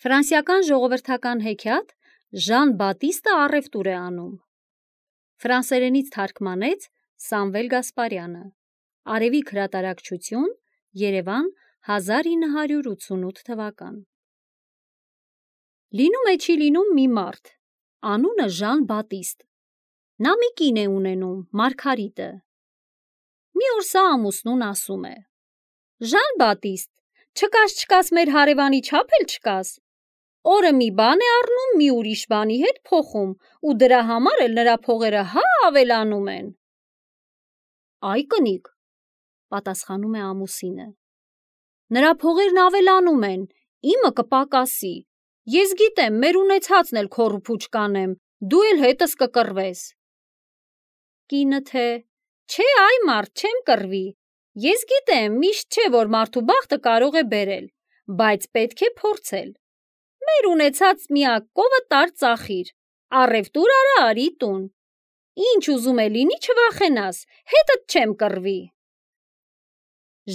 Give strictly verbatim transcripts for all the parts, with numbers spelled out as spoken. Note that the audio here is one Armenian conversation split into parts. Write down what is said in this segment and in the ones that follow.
Ֆրանսիական ժողովրդական հեքիաթ Ժան Բատիստը առևտուր է անում։ Ֆրանսերենից թարգմանեց Սամվել Գասպարյանը։ Արևիկ հրատարակչություն, Երևան, հազար ինը հարյուր ութսունութ թվական։ Լինում է չի լինում մի մարդ, անունը Ժան Բատիստ։ Նա մի կին է ունենում, Մարգարիտը։ Մի օր սա ամուսնուն ասում է. Ժան Բատիստ, չկաս չկաս մեր հարևանի չափ էլ չկաս։ Օրը մի բան է առնում, մի ուրիշ բանի հետ փոխում, ու դրա համար էլ նրա փողերը հա ավելանում են։ Այ կնիկ, պատասխանում է ամուսինը։ Նրա փողերն ավելանում են, իմը կպակասի։ Ես գիտեմ, մեր ունեցածն էլ քոռուփուչ կանեմ, դու էլ հետս կկռվես։ Կինը թե, չէ այ մարդ, չեմ կռվի։ Ես գիտեմ, միշտ չէ, որ մարդու բախտը կարող է բերել, բայց պետք է փորձել։ Մեր ունեցած միակ կովը տար ծախիր, առևտուր արա արի տուն։ Ինչ ուզում է լինի չվախենաս, հետդ չեմ կռվի։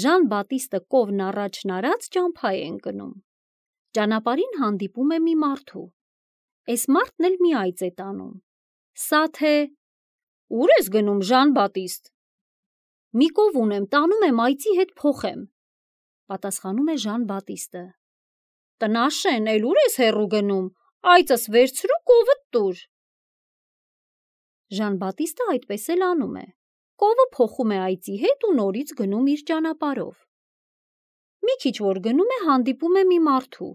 Ժան Բատիստը կովն առաջն արած ճամփա է ընկնում։ Ճանապարհին հանդիպում է մի մարդու։ Էս մարդն էլ մի այծ է տանում։ Սա թե ուր ես գնում, Ժան Բատիստ։ Մի կով ունեմ, տանում եմ այծի հետ փոխեմ, պատասխանում է Ժան Բատիստը։ Տնաշեն, էլ ուր ես հեռու գնում, այծս վերցրու կովդ տուր։ Ժան Բատիստը այդպես էլ անում է։ Կովը փոխում է այծի հետ ու նորից գնում իր ճանապարհով։ Մի քիչ որ գնում է, հանդիպում է մի մարդու,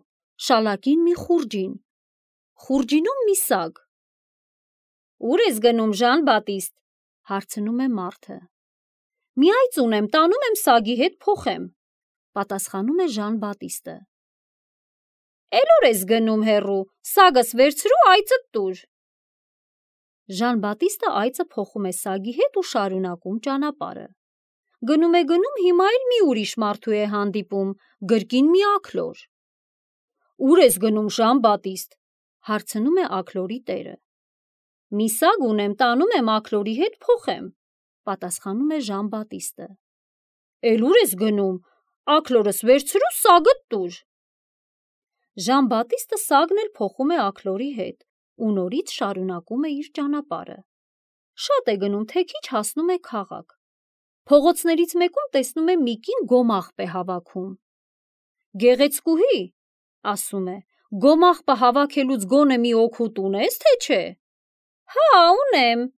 շալակին մի խուրջին, խուրջինում մի սագ։ Ուր ես գնում, Ժան Բատիստ, հարցնում է մարդը։ Մի այծ ունեմ, տանում եմ սագի հետ փոխեմ, պատասխանում է Ժան Բատիստը։ Էլ ուր ես գնում հեռու, սագս վերցրու այծդ տուր։ Ժան Բատիստը այծը փոխում է սագի հետ ու շարունակում ճանապարհը։ Գնում է գնում, հիմա էլ մի ուրիշ մարդու է հանդիպում, գրկին մի աքլոր։ Ուր ես գնում, Ժան Բատիստ, հարցնում է աքլորի տերը։ Մի սագ ունեմ, տանում եմ աքլորի հետ փոխեմ, պատասխանում է Ժան Բատիստը։ Էլ ուր ես գնում, աքլորս վերցրու սագդ տուր։ Ժան Բատիստը սագն էլ փոխում է աքլորի հետ ու նորից շարունակում է իր ճանապարհը։ Շատ է գնում, թե քիչ հասնում է քաղաք։ Փողոցներից մեկում տեսնում է մի կին գոմաղբ է հավաքում։ Գեղեցկուհի, ասում է, գոմաղբը հավաքելուց գոնե մի օգուտ ունես, թե չէ։ Հա, ունեմ,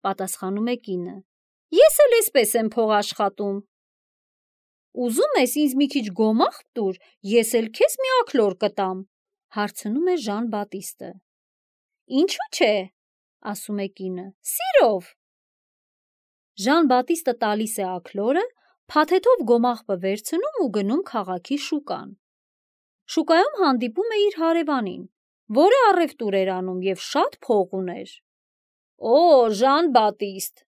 պատասխանում է կինը։ Ես էլ էսպես եմ փող աշխատում։ Ուզում ես ինձ մի քիչ գոմաղբ տուր, ես էլ քեզ մի աքլոր կտամ, հարցնում է Ժան Բատիստը։ Ինչու՞ չէ, ասում է կինը, սիրով։ Ժան Բատիստը տալիս է աքլորը, փաթեթով գոմաղբը վերցնում ու գնում քաղաքի շուկան։ Շուկայում հանդիպում է իր հարևանին, որը առևտուր էր անում և շատ փող ուներ։ Օ, Ժան Բատիստ,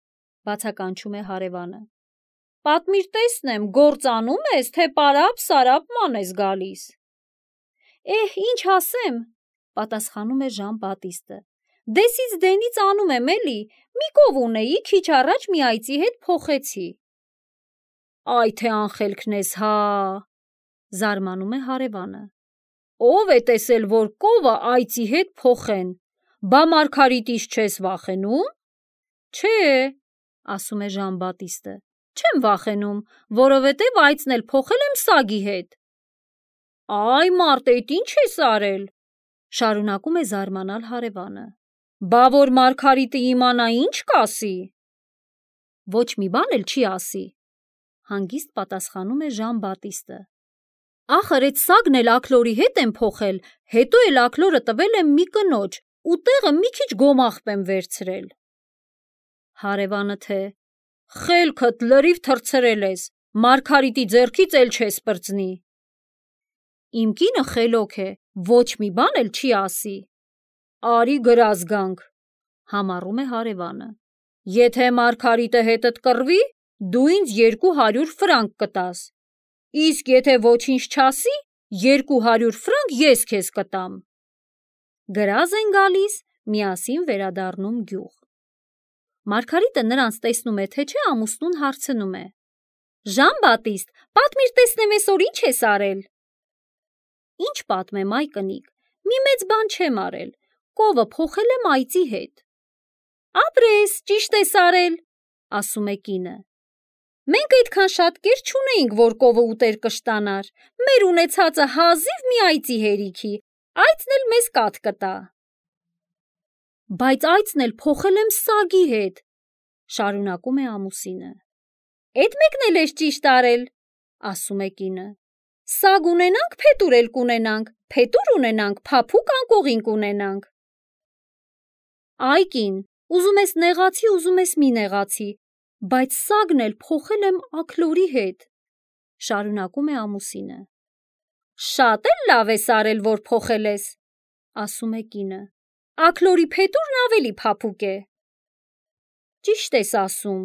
բացականչում է հարևանը։ Պատմիր տեսնեմ, գործ անում ես, թե պարապ-սարապ ման ես գալիս։ Էհ, ինչ ասեմ, պատասխանում է Ժան Բատիստը։ Դեսից դենից անում եմ էլի, մի կով ունեի, քիչ առաջ մի այծի հետ փոխեցի։ Այ թե անխելքն ես, հա, զարմանում է հարևանը։ Ով է տեսել, որ կովը այծի հետ փոխեն, բա Մարգարիտից չես վախենում։ Չէ, ասում է Ժան Բատիստը, չեմ վախենում, որովհետև այծն էլ փոխել եմ սագի հետ։ Այ մարդ, էդ ինչ ես արել, շարունակում է զարմանալ հարևանը։ Բա որ Մարգարիտը իմանա, ինչ կասի։ Ոչ մի բան էլ չի ասի, հանգիստ պատասխանում է Ժան Բատիստը։ Ախր էդ սագն էլ աքլորի հետ եմ փոխել, հետո էլ աքլորը տվել եմ մի կնոջ, ու տեղը մի քիչ գոմաղբ եմ վերցրել։ Հարևանը թե, խելքդ լրիվ թռցրել ես, Մարգարիտի ձեռքից էլ չես պրծնի։ Իմ կինը խելոք է, ոչ մի բան էլ չի ասի։ Արի գրազ գանք, համառում է հարևանը։ Եթե Մարգարիտը հետդ կռվի, դու ինձ երկու հարյուր ֆրանկ կտաս, իսկ եթե ոչինչ չասի, երկու հարյուր ֆրանկ ես քեզ կտամ։ Գրազ են գալիս, միասին վերադառնում գյուղ։ Մարգարիտը նրանց տեսնում է, թե չէ, ամուսնուն հարցնում է. Ժան Բատիստ, պատմիր տեսնեմ, այսօր ինչ ես արել։ Ինչ պատմեմ, այ կնիկ, մի մեծ բան չեմ արել, կովը փոխել եմ այծի հետ։ Ապրես, ճիշտ ես արել, ասում է կինը։ Մենք այդքան շատ կեր չունեինք, որ կովը ուտեր կշտանար, մեր ունեցածը հազիվ մի այծի հերիքի, այծն էլ մեզ կաթ կտա։ Բայց այծն էլ փոխել եմ սագի հետ, շարունակում է ամուսինը։ Էդ մեկն էլ ես ճիշտ արել, ասում է կինը։ Սագ ունենանք, փետուր էլ կունենանք, փետուր ունենանք, փափուկ անկողին կունենանք։ Այ կին, ուզում ես նեղացի, ուզում ես մի նեղացի, բայց սագն էլ փոխել եմ աքլորի հետ, շարունակում է ամուսինը։ Շատ էլ լավ ես արել, որ փոխել ես, ասում է կինը։ Աքլորի փետուրն ավելի փափուկ է։ Ճիշտ ես ասում,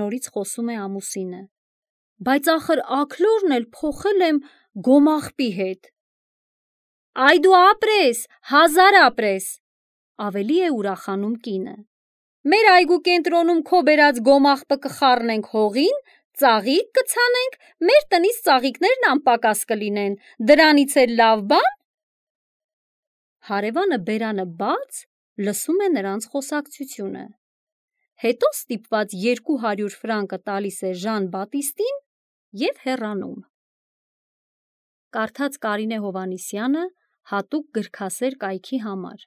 նորից խոսում է ամուսինը, բայց ախր աքլորն էլ փոխել եմ գոմաղբի հետ։ Այ դու ապրես, հազար ապրես, ավելի է ուրախանում կինը։ Մեր այգու կենտրոնում քո բերած գոմաղբը կխառնենք հողին, ծաղիկ կցանենք, մեր տնից ծաղիկներն անպակաս կլինեն, դրանից էլ լավ բան։ Հարևանը բերանը բաց լսում է նրանց խոսակցությունը։ Հետո ստիպված երկու հարյուր ֆրանկը տալիս է Ժան Բատիստին և հեռանում։ Կարդաց Կարինե Հովհաննիսյանը հատուկ գրքասեր կայքի համար։